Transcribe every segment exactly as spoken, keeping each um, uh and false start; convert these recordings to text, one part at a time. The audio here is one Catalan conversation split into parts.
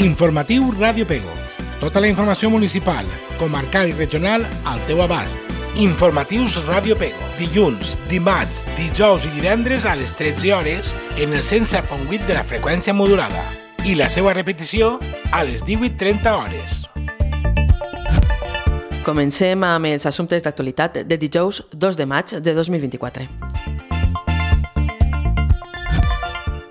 Informatiu Ràdio Pego. Tota la informació municipal, comarcal i regional al teu abast. Informatius Ràdio Pego. Dilluns, dimarts, dijous i divendres a les tretze hores en el cent set coma vuit de la freqüència modulada. I la seva repetició a les divuit trenta hores. Comencem amb els assumptes d'actualitat de dijous dos de maig de dos mil vint-i-quatre.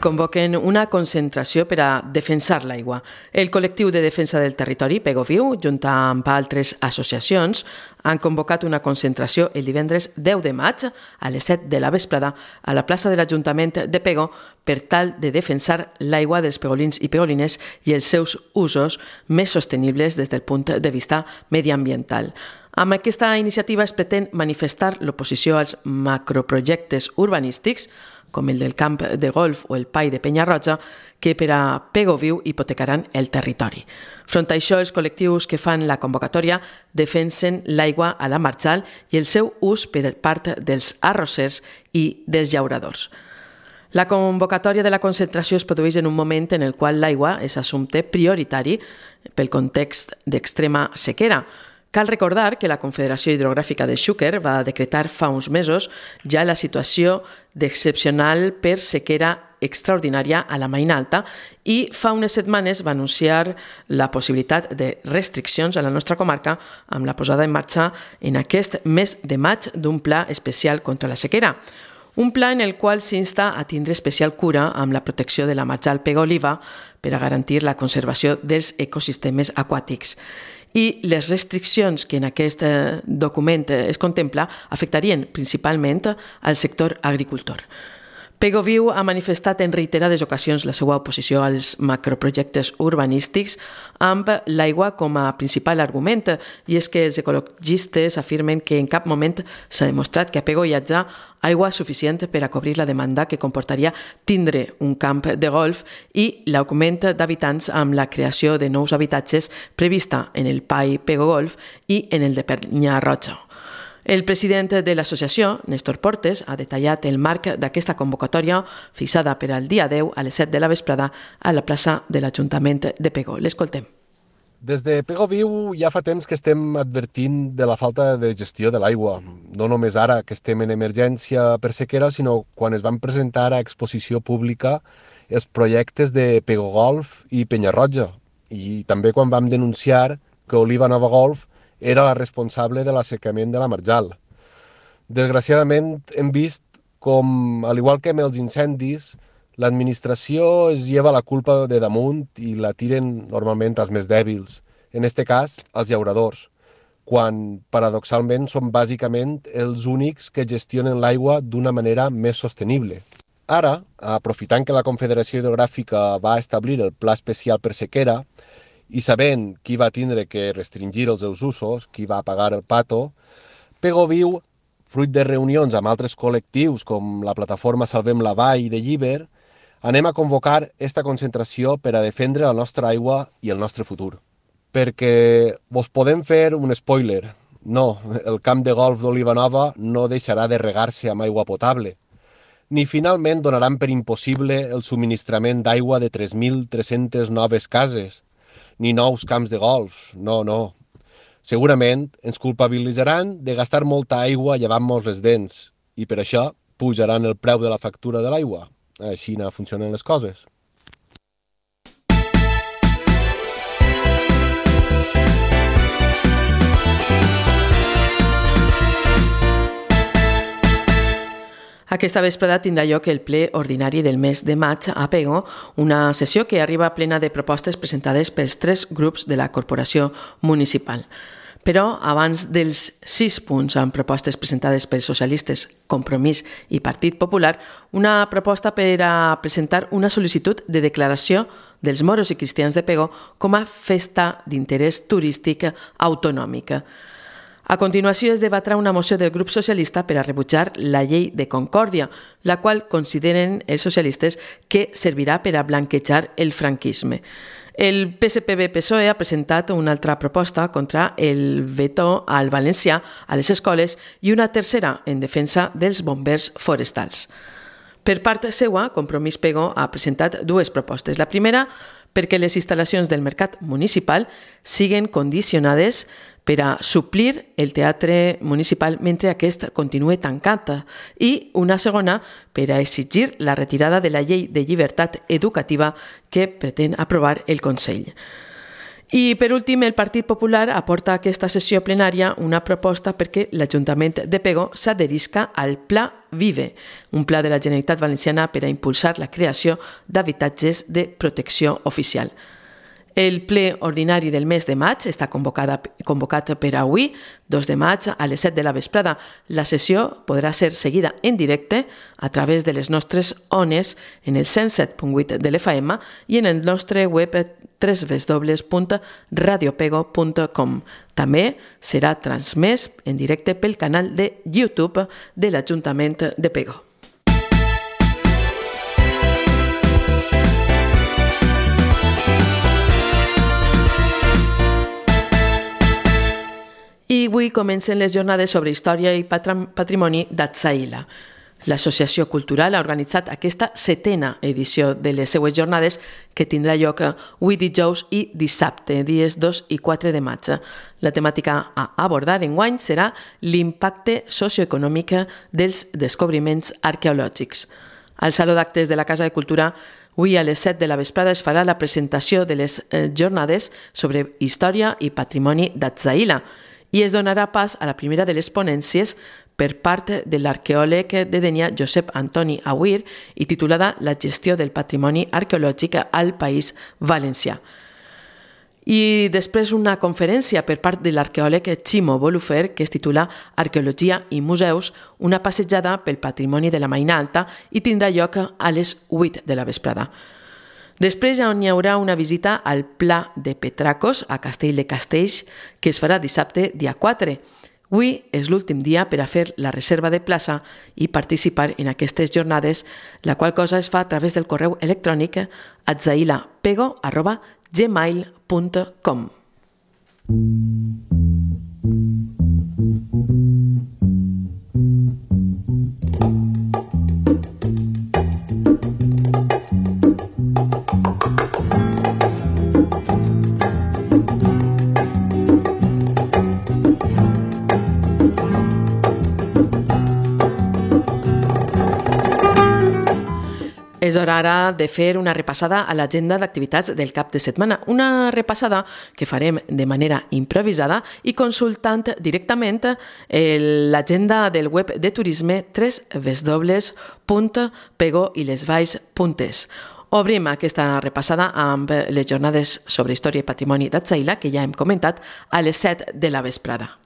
Convoquen una concentració per a defensar l'aigua. El col·lectiu de defensa del territori, Pego Viu, junt amb altres associacions, han convocat una concentració el divendres deu de maig a les set de la vesprada a la plaça de l'Ajuntament de Pego per tal de defensar l'aigua dels pegolins i pegolines i els seus usos més sostenibles des del punt de vista mediambiental. Amb aquesta iniciativa es pretén manifestar l'oposició als macroprojectes urbanístics com el del camp de golf o el pai de Penyarroja, que per a Pego Viu hipotecaran el territori. Front a això, els col·lectius que fan la convocatòria defensen l'aigua a la marjal i el seu ús per part dels arrossers i dels llauradors. La convocatòria de la concentració es produeix en un moment en el qual l'aigua és assumpte prioritari pel context d'extrema sequera. Cal recordar que la Confederació Hidrogràfica de Xúquer va decretar fa uns mesos ja la situació d'excepcional per sequera extraordinària a la Marina Alta i fa unes setmanes va anunciar la possibilitat de restriccions a la nostra comarca amb la posada en marxa en aquest mes de maig d'un pla especial contra la sequera. Un pla en el qual s'insta a tindre especial cura amb la protecció de la marjal Pego-Oliva per a garantir la conservació dels ecosistemes aquàtics. I les restriccions que en aquest document es contempla afectarien principalment al sector agricultor. Pego Viu ha manifestat en reiterades ocasions la seva oposició als macroprojectes urbanístics amb l'aigua com a principal argument, i és que els ecologistes afirmen que en cap moment s'ha demostrat que a Pego hi hagi aigua suficient per a cobrir la demanda que comportaria tindre un camp de golf i l'augment d'habitants amb la creació de nous habitatges prevista en el pai Pego Golf i en el de Penyarroja. El president de l'associació, Néstor Portes, ha detallat el marc d'aquesta convocatòria fixada per al dia deu a les set de la vesprada a la plaça de l'Ajuntament de Pego. L'escoltem. Des de Pego Viu ja fa temps que estem advertint de la falta de gestió de l'aigua. No només ara que estem en emergència per sequera, sinó quan es van presentar a exposició pública els projectes de Pego Golf i Penyarroja. I també quan vam denunciar que Oliva Nova Golf era la responsable de l'assecament de la marjal. Desgraciadament hem vist com, al igual que amb els incendis, l'administració es lleva la culpa de damunt i la tiren normalment als més dèbils, en aquest cas als llauradors, quan paradoxalment són bàsicament els únics que gestionen l'aigua d'una manera més sostenible. Ara, aprofitant que la Confederació Hidrogràfica va establir el Pla Especial per Sequera, i sabent qui va tindre que restringir els seus usos, qui va pagar el pato, Pego Viu, fruit de reunions amb altres col·lectius com la plataforma Salvem la Vall de Llíber, anem a convocar esta concentració per a defendre la nostra aigua i el nostre futur. Perquè vos podem fer un spoiler. No, el camp de golf d'Oliva Nova no deixarà de regar-se amb aigua potable, ni finalment donaran per impossible el subministrament d'aigua de tres mil tres-centes noves cases, ni nous camps de golf, no, no. Segurament ens culpabilitzaran de gastar molta aigua llevant-nos les dents i per això pujaran el preu de la factura de l'aigua. Així no funcionen les coses. Aquesta vesprada tindrà lloc el ple ordinari del mes de maig a Pego, una sessió que arriba plena de propostes presentades pels tres grups de la corporació municipal. Però abans dels sis punts amb propostes presentades pels socialistes, Compromís i Partit Popular, una proposta per a presentar una sol·licitud de declaració dels moros i cristians de Pego com a festa d'interès turístic autonòmic. A continuació es debatrà una moció del grup socialista per a rebutjar la llei de Concòrdia, la qual consideren els socialistes que servirà per a blanquejar el franquisme. El P S P B P S O E ha presentat una altra proposta contra el veto al valencià a les escoles i una tercera en defensa dels bombers forestals. Per part seua, Compromís Pego ha presentat dues propostes. La primera, perquè les instal·lacions del mercat municipal siguen condicionades per a suplir el teatre municipal mentre aquest continue tancat, i una segona per a exigir la retirada de la llei de llibertat educativa que pretén aprovar el Consell. I, per últim, el Partit Popular aporta a aquesta sessió plenària una proposta perquè l'Ajuntament de Pego s'adherisca al Pla Vive, un pla de la Generalitat Valenciana per a impulsar la creació d'habitatges de protecció oficial. El ple ordinari del mes de maig està convocat per avui, dos de maig, a les set de la vesprada. La sessió podrà ser seguida en directe a través de les nostres ones en el cent set punt vuit de l'F M i en el nostre web w w w punt radio pego punt com. També serà transmès en directe pel canal de YouTube de l'Ajuntament de Pego. I avui comencen les jornades sobre història i patrimoni d'Atzaïla. L'Associació Cultural ha organitzat aquesta setena edició de les seues jornades que tindrà lloc avui dijous i dissabte, dies dos i quatre de maig. La temàtica a abordar enguany serà l'impacte socioeconòmic dels descobriments arqueològics. Al Saló d'Actes de la Casa de Cultura, avui a les set de la vesprada es farà la presentació de les jornades sobre història i patrimoni d'Atzaïla, i es donarà pas a la primera de les ponències per part de l'arqueòleg de Dénia Josep Antoni Aguirre i titulada La gestió del patrimoni arqueològic al País Valencià. I després una conferència per part de l'arqueòleg Ximo Bolufer que es titula Arqueologia i museus, una passejada pel patrimoni de la Marina Alta i tindrà lloc a les vuit de la vesprada. Després hi haurà una visita al Pla de Petracos, a Castell de Castells, que es farà dissabte, dia quatre. Avui és l'últim dia per a fer la reserva de plaça i participar en aquestes jornades, la qual cosa es fa a través del correu electrònic atzailapego arroba gmail punt com. És hora ara de fer una repassada a l'agenda d'activitats del cap de setmana. Una repassada que farem de manera improvisada i consultant directament l'agenda del web de turisme w w w punt pego i les valls punt es. Obrim aquesta repassada amb les jornades sobre història i patrimoni d'Atzaïla, que ja hem comentat, a les set de la vesprada.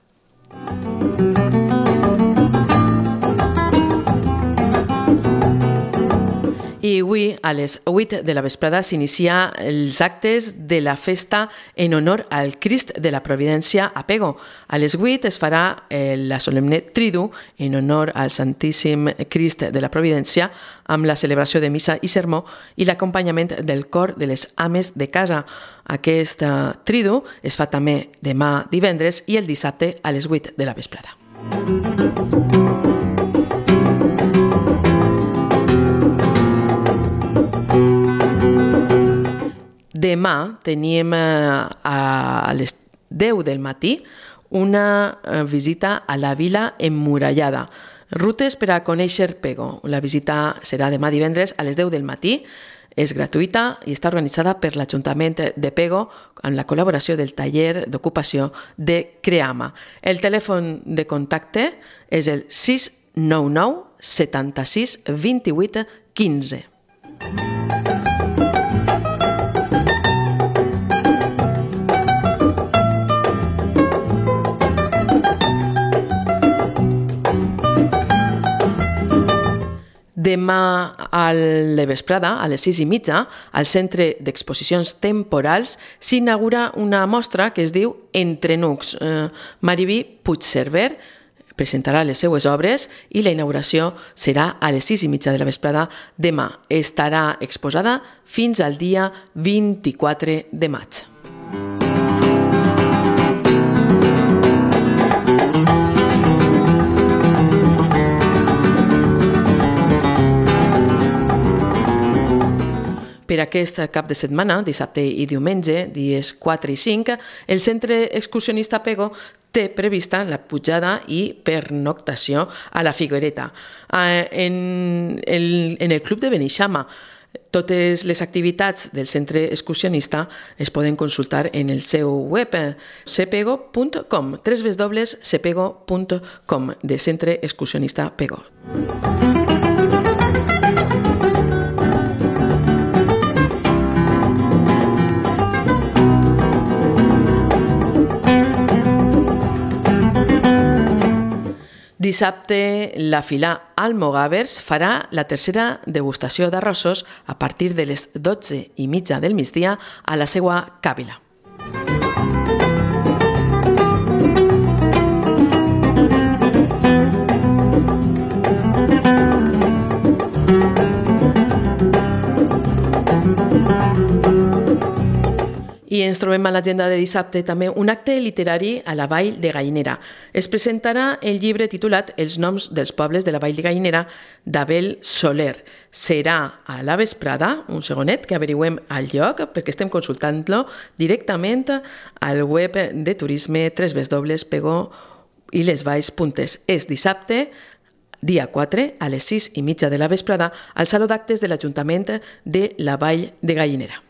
I avui, a les vuit de la vesprada, s'inicia els actes de la festa en honor al Crist de la Providència a Pego. A les vuit es farà la solemne Tridu en honor al Santíssim Crist de la Providència amb la celebració de missa i sermó i l'acompanyament del cor de les ames de casa. Aquest Tridu es fa també demà divendres i el dissabte a les vuit de la vesprada. Demà tenim a les deu del matí una visita a la vila emmurallada. Rutes per a conèixer Pego. La visita serà demà divendres a les deu del matí. És gratuïta i està organitzada per l'Ajuntament de Pego amb la col·laboració del taller d'ocupació de Creama. El telèfon de contacte és el sis nou nou setanta-sis vint-i-vuit quinze. Demà a la vesprada, a les sis i mitja, al Centre d'Exposicions Temporals, s'inaugura una mostra que es diu Entre Nucs. Eh, Mariví Puigcerver presentarà les seues obres i la inauguració serà a les sis i mitja de la vesprada demà. Estarà exposada fins al dia vint-i-quatre de maig. Per aquest cap de setmana, dissabte i diumenge, dies quatre i cinc, el Centre Excursionista Pego té prevista la pujada i pernoctació a la Figuereta. En el, en el Club de Beneixama, totes les activitats del Centre Excursionista es poden consultar en el seu web cepego punt com, w w w punt cepego punt com, de Centre Excursionista Pego. Dissabte, la Fila Almogàvers farà la tercera degustació d'arrossos a partir de les dotze i mitja del migdia a la seva càvila. I ens trobem a l'agenda de dissabte també un acte literari a la Vall de Gallinera. Es presentarà el llibre titulat Els noms dels pobles de la Vall de Gallinera d'Abel Soler. Serà a la vesprada, un segonet, que averiguem al lloc perquè estem consultant-lo directament al web de turisme w w w punt pego i les valls punt es. És dissabte, dia quatre, a les sis i mitja de la vesprada, al Saló d'Actes de l'Ajuntament de la Vall de Gallinera.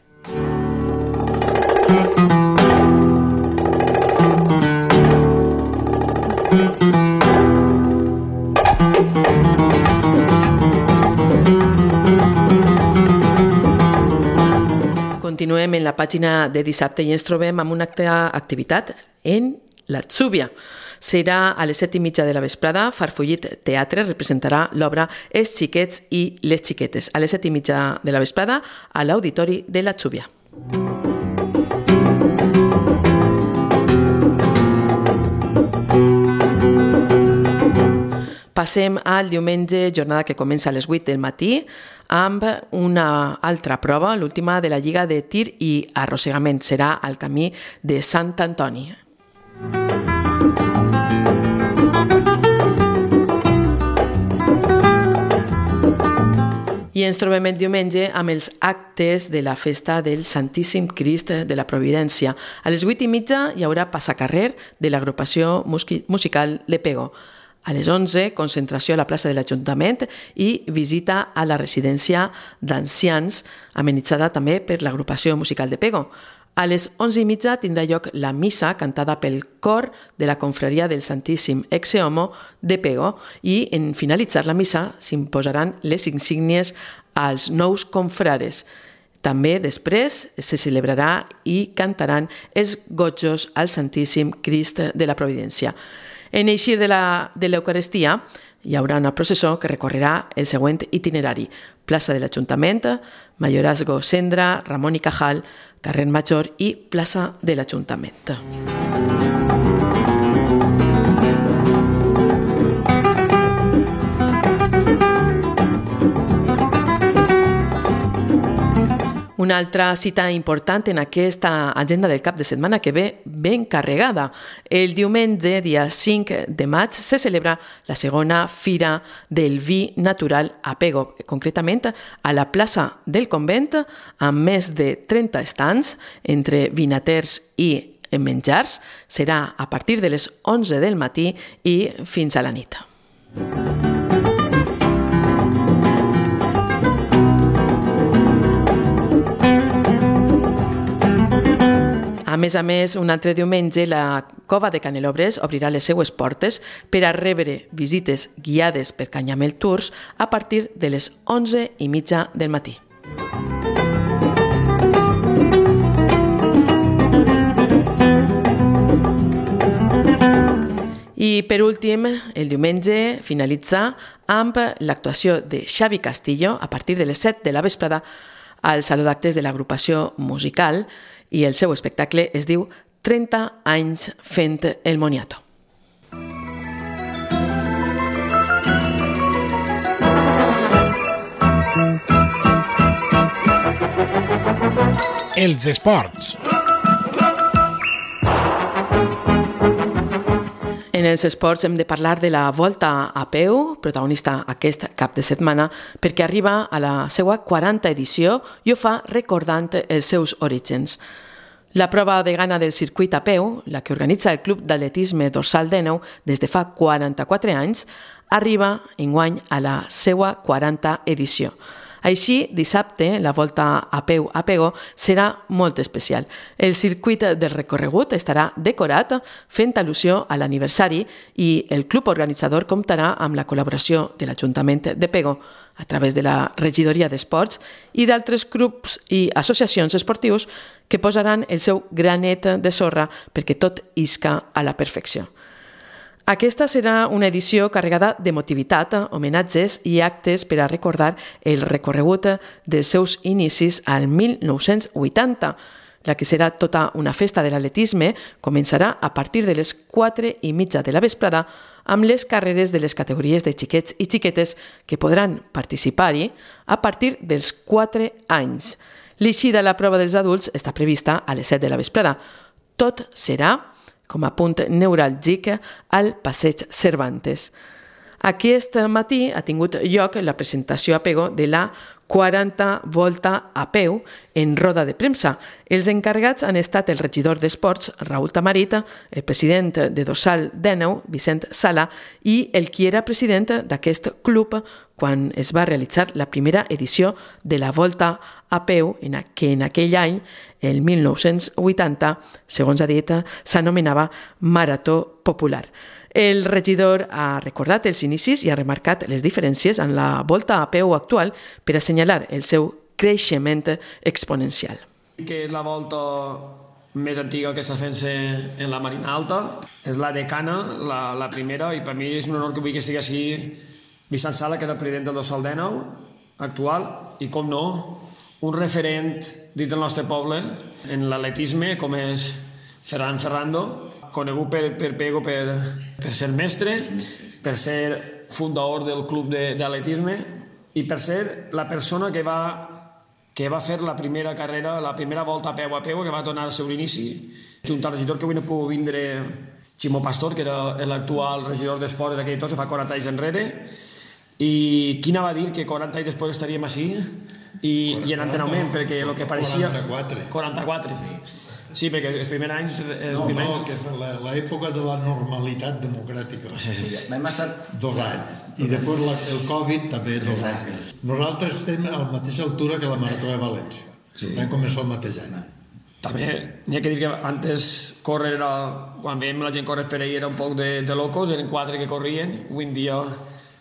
Continuem en la pàgina de dissabte i ens trobem amb una activitat en l'Atzúbia. Serà a les set i mitja de la vesprada. Farfollit Teatre representarà l'obra Els xiquets i les xiquetes a les set i mitja de la vesprada a l'Auditori de l'Atzúbia. Passem al diumenge, jornada que comença a les vuit del matí, amb una altra prova, l'última de la Lliga de Tir i Arrossegament. Serà al camí de Sant Antoni. I ens trobem el diumenge amb els actes de la festa del Santíssim Crist de la Providència. A les vuit i mitja hi haurà passacarrer de l'agrupació musical de Pego. A les onze, concentració a la plaça de l'Ajuntament i visita a la residència d'ancians, amenitzada també per l'agrupació musical de Pego. A les onze i mitja tindrà lloc la missa cantada pel cor de la confraria del Santíssim Exe Homo de Pego i en finalitzar la missa s'imposaran les insígnies als nous confrares. També després se celebrarà i cantaran els gotjos al Santíssim Crist de la Providència. En eixir de l'Eucaristia hi haurà una processó que recorrerà el següent itinerari: plaça de l'Ajuntament, Mayorazgo Cendra, Ramon i Cajal, carrer Major i plaça de l'Ajuntament. Una altra cita important en aquesta agenda del cap de setmana que ve ben carregada. El diumenge, dia cinc de maig, se celebra la segona Fira del Vi Natural a Pego, concretament a la plaça del Convent, amb més de trenta estants entre vinaters i menjars. Serà a partir de les onze del matí i fins a la nit. A més a més, un altre diumenge, la Cova de Canelobres obrirà les seues portes per a rebre visites guiades per Canyamel Tours a partir de les onze i mitja del matí. I per últim, el diumenge finalitza amb l'actuació de Xavi Castillo a partir de les set de la vesprada al Saló d'Actes de l'agrupació musical i el seu espectacle es diu trenta anys fent el moniato. Els esports. En En els esports hem de parlar de la Volta a peu, protagonista aquest cap de setmana, perquè arriba a la seva quaranta edició i ho fa recordant els seus orígens. La prova de gana del circuit a peu, la que organitza el Club d'Atletisme Dorsal Déneu des de fa quaranta-quatre anys, arriba enguany a la seva quaranta edició. Així, dissabte, la Volta a peu a Pego serà molt especial. El circuit del recorregut estarà decorat fent al·lusió a l'aniversari i el club organitzador comptarà amb la col·laboració de l'Ajuntament de Pego a través de la Regidoria d'Esports i d'altres grups i associacions esportius que posaran el seu granet de sorra perquè tot isca a la perfecció. Aquesta serà una edició carregada d'emotivitat, homenatges i actes per a recordar el recorregut dels seus inicis al mil nou-cents vuitanta. La que serà tota una festa de l'atletisme començarà a partir de les quatre i mitja de la vesprada amb les carreres de les categories de xiquets i xiquetes que podran participar-hi a partir dels quatre anys. L'eixida a la prova dels adults està prevista a les set de la vesprada. Tot serà com a punt neuràlgic al Passeig Cervantes. Aquest matí ha tingut lloc la presentació a Pego de la quaranta Volta a peu en roda de premsa. Els encarregats han estat el regidor d'Esports, Raül Tamarit, el president de Dorsal Déneu, Vicent Sala, i el qui era president d'aquest club quan es va realitzar la primera edició de la Volta a peu, que en aquell any, el mil nou-cents vuitanta, segons ha dit, s'anomenava Marató Popular. El regidor ha recordat els inicis i ha remarcat les diferències en la Volta a peu actual per assenyalar el seu creixement exponencial. Que és la volta més antiga que està fent-se en la Marina Alta. És la decana, la, la primera, i per mi és un honor que vull que estigui així Vicent Sala, que és el president del Dorsal Déneu actual, i com no, un referent dins del nostre poble en l'atletisme, com és Ferran Ferrando, conegut per, per Pego per, per ser mestre, per ser fundador del club d'atletisme i per ser la persona que va, que va fer la primera carrera, la primera volta a peu a peu, que va donar el seu inici, junt al regidor que avui no pugui vindre, Ximo Pastor, que era l'actual regidor d'Esports d'aquell tot, fa quaranta anys enrere, i quina va dir que quaranta anys després estaríem així i, i en entrenament, perquè el que pareixia... quaranta-quatre. quaranta-quatre, sí. Sí, perquè els primers anys... Els no, primers... no, que l'època de la normalitat democràtica. Vam estar... Dos anys. I després la, el Covid també dos anys. Nosaltres estem a la mateixa altura que la Marató de València. Sí. Vam començar el mateix any. També n'hi ha que dir que antes córrer era... Quan veiem la gent córrer per ahir era un poc de, de locos, eren quatre que corrien. Avui en dia,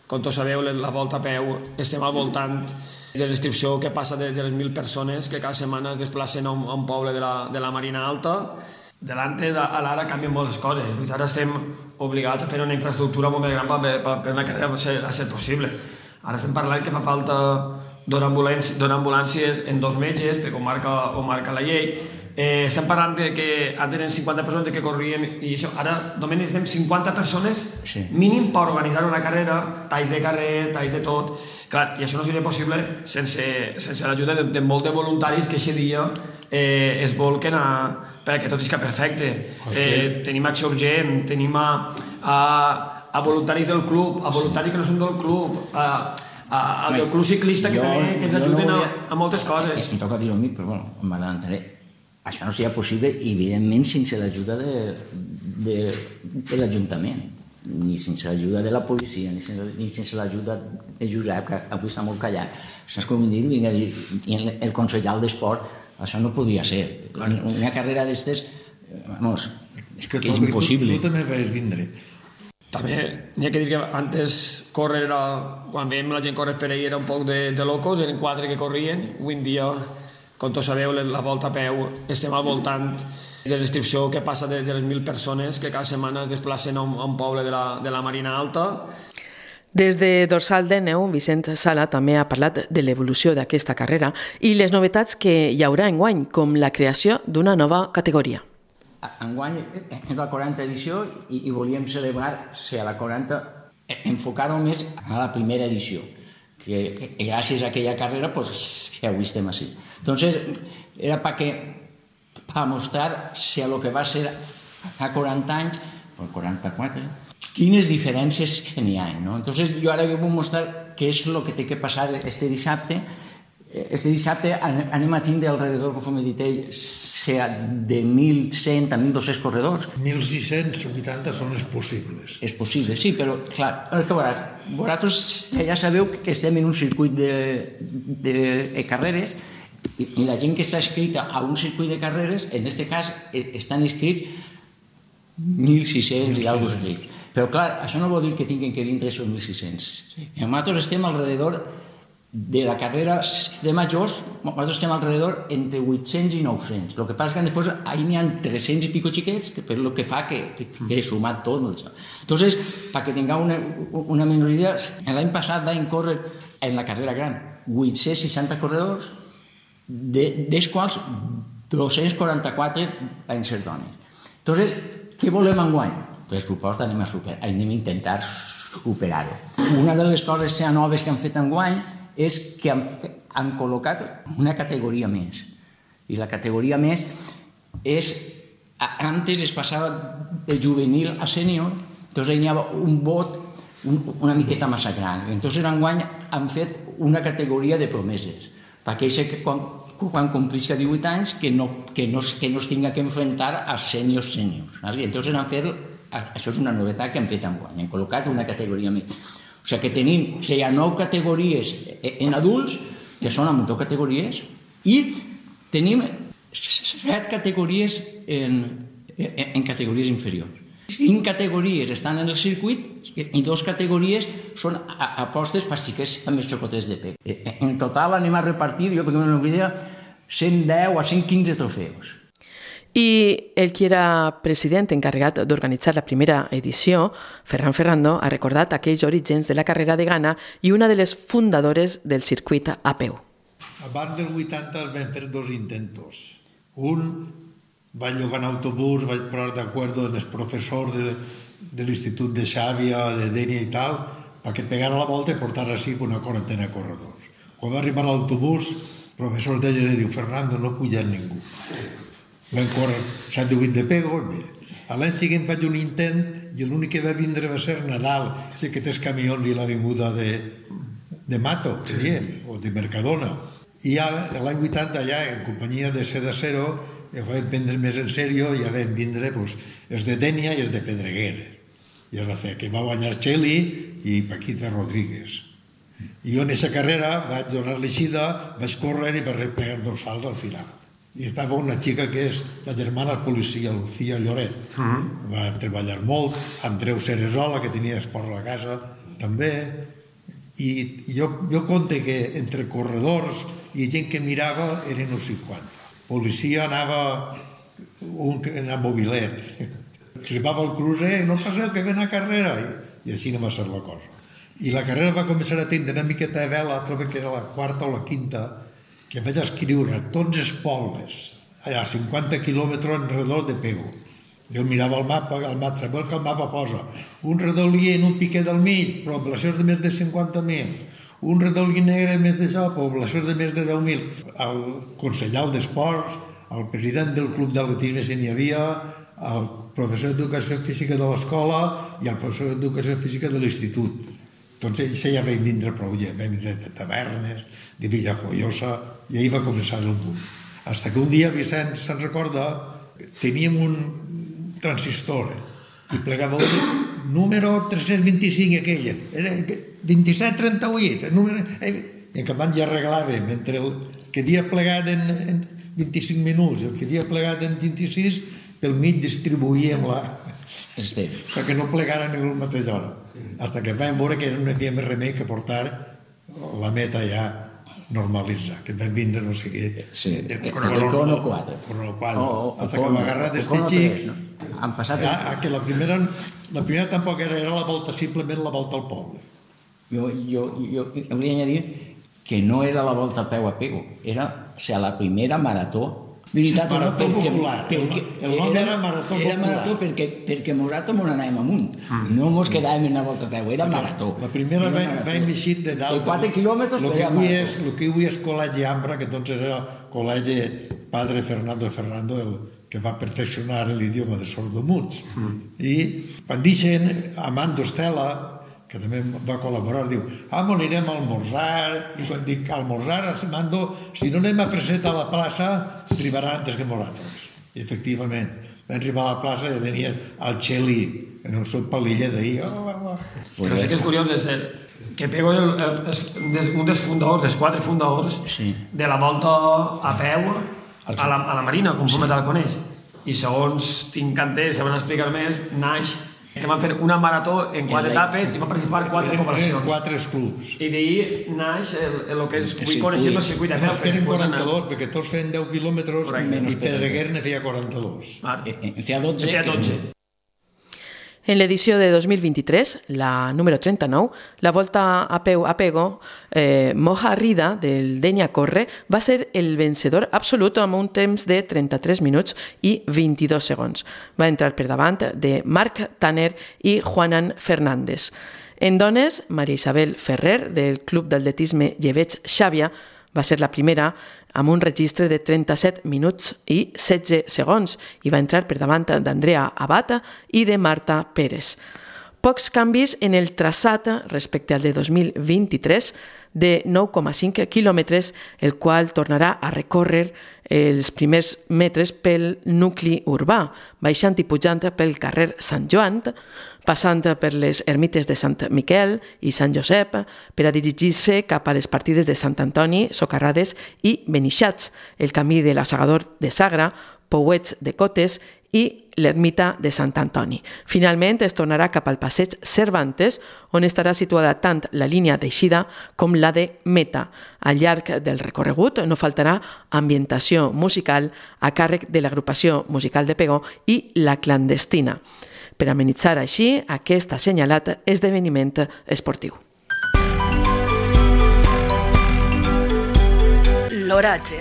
com tots sabeu, la volta a peu estem al voltant de l'inscripció que passa de, de les mil persones que cada setmana es desplacen a un, a un poble de la, de la Marina Alta. De l'antes a l'ara canvien moltes coses. Ara estem obligats a fer una infraestructura molt més gran perquè una carrera a ser, a ser possible. Ara estem parlant que fa falta donar ambulàncies, donar ambulàncies en dos metges, perquè ho marca, ho marca la llei. Eh, estem parlant de que antes eren cinquanta persones que corrien i això, ara només necessitem cinquanta persones sí. mínim per organitzar una carrera, talls de carrer, talls de tot. Clar, i això no seria possible sense, sense l'ajuda de, de molts de voluntaris que aquest dia eh, es volquen a, perquè tot isca perfecte. Eh, tenim Acció Urgent, tenim a, a, a voluntaris del club, a voluntaris que no són del club, a, a, a del club ciclista que, jo, també, que ens ajuden no volia, a, a moltes coses. Em toca dir-ho a mi, però bueno, m'agradaré. Això no seria possible, evidentment, sense l'ajuda de, de, de l'Ajuntament, ni sense l'ajuda de la policia, ni sense, ni sense l'ajuda de Josep, que avui està molt callat. Saps com dir-ho? I el consellal d'Esport, això no podria ser. Una carrera d'estes, vamos, és que, que és impossible. Tu, tu també vas vindre. També n'hi ha que dir que antes córrer era... Quan veiem la gent córrer per ahir era un poc de, de locos, eren quatre que corrien. Avui en dia, com tots sabeu, la volta a peu estem al voltant de l'inscripció que passa de, de les mil persones que cada setmana es desplacen a un, a un poble de la, de la Marina Alta. Des de Dorsal Déneu, Vicent Sala també ha parlat de l'evolució d'aquesta carrera i les novetats que hi haurà enguany, com la creació d'una nova categoria. Enguany és la quaranta edició i, i volíem celebrar ser a la quaranta, enfocar-ho més a la primera edició, que gràcies a aquella carrera pues, que avui estem així. Entonces, era perquè para mostrar si a lo que va ser a quaranta anys, o quaranta-quatre, quines diferències n'hi ha, no? Entonces, jo ara vull mostrar què és el que té que passar este dissabte. Este dissabte anem a tindre alrededor, com he dit ell, sea de mil cent a mil dos-cents corredors. mil sis-cents vuitanta són els possibles. És possible, sí, però, clar, el que veuràs, vosaltres ja sabeu que estem en un circuit de, de carreres i, i la gent que està inscrita a un circuit de carreres, en aquest cas, estan inscrits mil sis-cents i alguna cosa. Però, clar, això no vol dir que tinguin que vindre aquests mil sis-cents. I nosaltres estem alrededor de la carrera de majors, nosaltres estem alrededor entre vuit-cents i nou-cents. El que passa és que després ahí n'hi ha tres-cents i pico xiquets, que per lo que fa que, que, que he sumat tot. Entonces, para que tingueu una, una menor idea, l'any passat vam córrer en la carrera gran vuit-cents seixanta corredors, de, dels quals dos-cents quaranta-quatre van ser dones. Entonces, què volem enguany? Per supost, anem a, super, anem a intentar superar-ho. Una de les coses noves que han fet enguany és que han, han col·locat una categoria més. I la categoria més és... Antes es passava de juvenil a sènior, doncs hi havia un vot un, una miqueta massa gran. Entonces enguany han fet una categoria de promeses, perquè que quan, quan complisca divuit anys que no, que no, que no es tinga que enfrontar a sèniors sèniors. Entonces han fet... Això és una novetat que han fet enguany, han col·locat una categoria més. O sigui que tenim, hi ha nou categories en adults, que són amb dues categories, i tenim set categories en, en categories inferiors. Cinc categories estan en el circuit i dues categories són apostes per xiquets amb els xocotets de pec. En total anem a repartir, jo perquè m'ho idea, cent deu a cent quinze trofeus. I el qui era president encarregat d'organitzar la primera edició, Ferran Ferrando, ha recordat aquells orígens de la carrera de Ghana i una de les fundadores del circuit a peu. Abans del vuitanta es van fer dos intentos. Un va llogar en autobús, vaig posar d'acord amb els professors de, de l'Institut de Xàbia, de Dènia i tal, perquè pegara la volta i portar així una quarantena de corredors. Quan va arribar a l'autobús, el professor deia i diu, Fernando, no puja ningú. Vam córrer set o vuit de pego. A l'any següent vaig un intent i l'únic que va vindre va ser Nadal, sé que tens camions i la vinguda de, de Mato, sí, o de Mercadona. I ja l'any vuitanta ja, en companyia de Seda Cero, ja vam prendre més en sèrio i ja vam vindre pues, els de Dènia i els de Pedreguer. I es va fer que va guanyar Txeli i Paquita Rodríguez. I jo en aquesta carrera vaig donar l'eixida, vaig córrer i vaig pegar dos salts al final. I estava una xica que és la germana policia, Lucía Lloret. Uh-huh. Va treballar molt, Andreu Ceresola, que tenia esport a la casa, també. I jo, jo conte que entre corredors i gent que mirava eren uns cinquanta. Policia anava un que anava mobilet. Arribava al crucer, no passeu que ven a carrera. I, i així no va ser la cosa. I la carrera va començar a tindre una miqueta de vela, trobo que era la quarta o la quinta, que vaig escriure a tots els pobles, allà a cinquanta quilòmetres enredor de Pego. Jo mirava el mapa, el mapa, sabeu que el mapa posa un redolí en un piquet del mig, poblacions de més de cinquanta mil, un redolí negre més d'això, poblacions de més de deu mil. El consellal d'esports, el president del club d'atletisme si n'hi havia, el professor d'educació física de l'escola i el professor d'educació física de l'institut. Doncs això ja vam vindre prou, ja vam vindre de tavernes, de Villajoiosa, i ahir va començar el boom. Fins que un dia, Vicent se'n recorda, teníem un transistor i plegava un número tres-cents vint-i-cinc aquella, era vint-i-set trenta-vuit, número... i en canvi ja arreglàvem entre el que havia plegat en, en vint-i-cinc minuts i el que havia plegat en vint-i-sis, pel mig distribuïem la... perquè no plegaren en la mateixa hora. Fins que vam veure que no havia més remei que portar la meta ja normalitzar, que vam vindre no sé què... Sí, el crono quatre. Crono quatre. Fins que m'ha agarrat este xic... Han passat... Que la primera, la primera tampoc era, era la volta, simplement la volta al poble. Jo, jo, jo hauria de dir que no era la volta a peu a Pego, era o sigui, la primera marató. Veritat, marató no, perquè, popular. Perquè, el nom era, era marató era popular. Era marató perquè, perquè nosaltres ens anàvem amunt. Mm. No ens quedàvem en la volta a peu, era marató. La primera vam eixir de dalt. De quatre quilòmetres, però era marató. El que avui és Col·legi Ambra, que entonces era Col·legi Padre Fernando Ferrando, el que va perfeccionar l'idioma de sordomuts. Mm. I quan deixen Amando Estela, que també va col·laborar, diu, ah, anirem a almorzar, i quan dic almorzar, Amando, si no anem a presentar a la plaça, arribaran antes que nosaltres. I efectivament, vam arribar a la plaça i tenien el Xeli en el seu palillet d'ahir. Oh, oh, oh. Però sí que és curiós és que Pego és un dels fundadors, dels quatre fundadors de la volta a peu a la, a la Marina, com sí. Metal coneix. I segons tinc entès, se van explicar més, naix que van fer una marató en quatre etapes i van participar en quatre poblacions. Quatre clubs. I d'ahir naix el, el que es vull conèixer el circuit de peu. No, feren quaranta-dos, perquè tots feien deu quilòmetres i Pedreguer ne feia quaranta-dos. En feia dotze. En feia dotze. En l'edició de dos mil vint-i-tres, la número trenta-nou, la volta a peu a Pego, eh, Moja Rida, del Denia Corre, va ser el vencedor absolut amb un temps de trenta-tres minuts i vint-i-dos segons. Va entrar per davant de Marc Tanner i Juanan Fernández. En dones, Maria Isabel Ferrer, del Club d'Atletisme Lleveig Xàbia, va ser la primera amb un registre de trenta-set minuts i setze segons i va entrar per davant d'Andrea Abata i de Marta Pérez. Pocs canvis en el traçat respecte al de dos mil vint-i-tres, de nou coma cinc quilòmetres, el qual tornarà a recórrer els primers metres pel nucli urbà, baixant i pujant pel carrer Sant Joan, passant per les ermites de Sant Miquel i Sant Josep, per a dirigir-se cap a les partides de Sant Antoni, Socarrades i Benixats, el camí de l'Assegador de Sagra, Pouets de Cotes i l'ermita de Sant Antoni. Finalment es tornarà cap al passeig Cervantes, on estarà situada tant la línia d'eixida com la de meta. Al llarg del recorregut no faltarà ambientació musical a càrrec de l'agrupació musical de Pego i La Clandestina, per amenitzar així aquest assenyalat esdeveniment esportiu. L'oratge.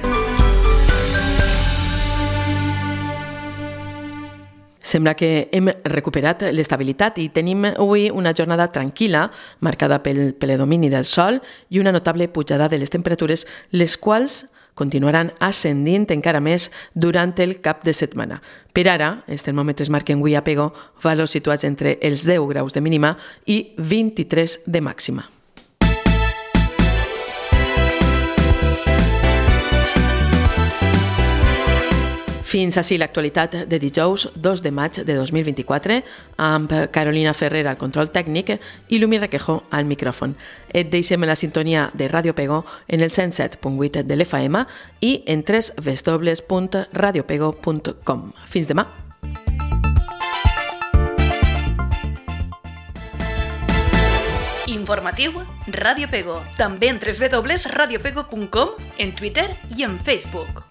Sembla que hem recuperat l'estabilitat i tenim avui una jornada tranquil·la, marcada pel predomini del sol i una notable pujada de les temperatures, les quals continuaran ascendint encara més durant el cap de setmana. Per ara, els termòmetres marquen avui a Pego valors situats entre els deu graus de mínima i vint-i-tres de màxima. Fins així l'actualitat de dijous dos de maig de dos mil vint-i-quatre amb Carolina Ferrer al control tècnic i Lumi Requejo al micròfon. Et deixem la sintonia de Ràdio Pego en el cent set punt vuit de l'F M i en w w w punt radio pego punt com. Fins demà! Informatiu Ràdio Pego, també en w w w punt radio pego punt com, en Twitter i en Facebook.